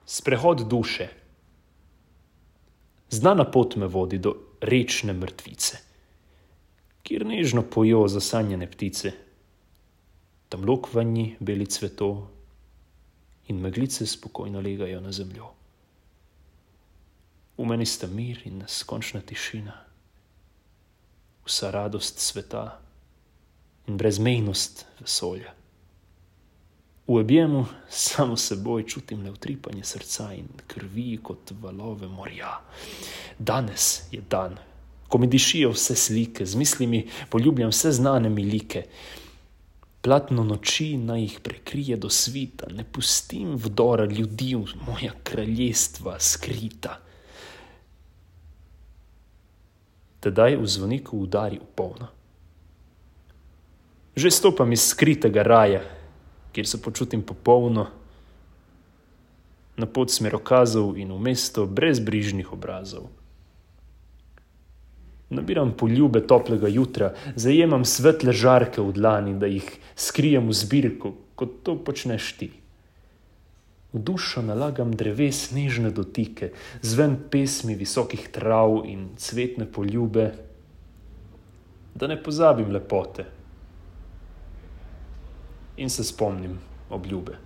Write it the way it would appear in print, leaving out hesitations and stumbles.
Sprehod duše. Znana pot me vodi do rečne mrtvice, kjer nežno pojo zasanjene ptice. Tam lokvanji beli cveto in meglice spokojno legajo na zemljo. V meni sta mir in neskončna tišina, vsa radost sveta in brezmejnost vesolja. V objemu samo seboj čutim le utripanje srca in krvi kot valove morja. Danes je dan, ko mi dišijo vse slike, z mislimi poljubljam vse znane mi like. Platno noči naj jih prekrije do svita, ne pustim vdora ljudi v moja kraljestva skrita. Tedaj v zvoniku udari v polno. Že stopam iz skritega raja, kjer se počutim popolno, na pot smerokazov in v mesto brezbrižnih obrazov. Nabiram poljube toplega jutra, zajemam svetle žarke v dlani, da jih skrijem v zbirko, kot to počneš ti. V dušo nalagam dreves nežne dotike, zven pesmi visokih trav in cvetne poljube, da ne pozabim lepote in se spomnim obljube.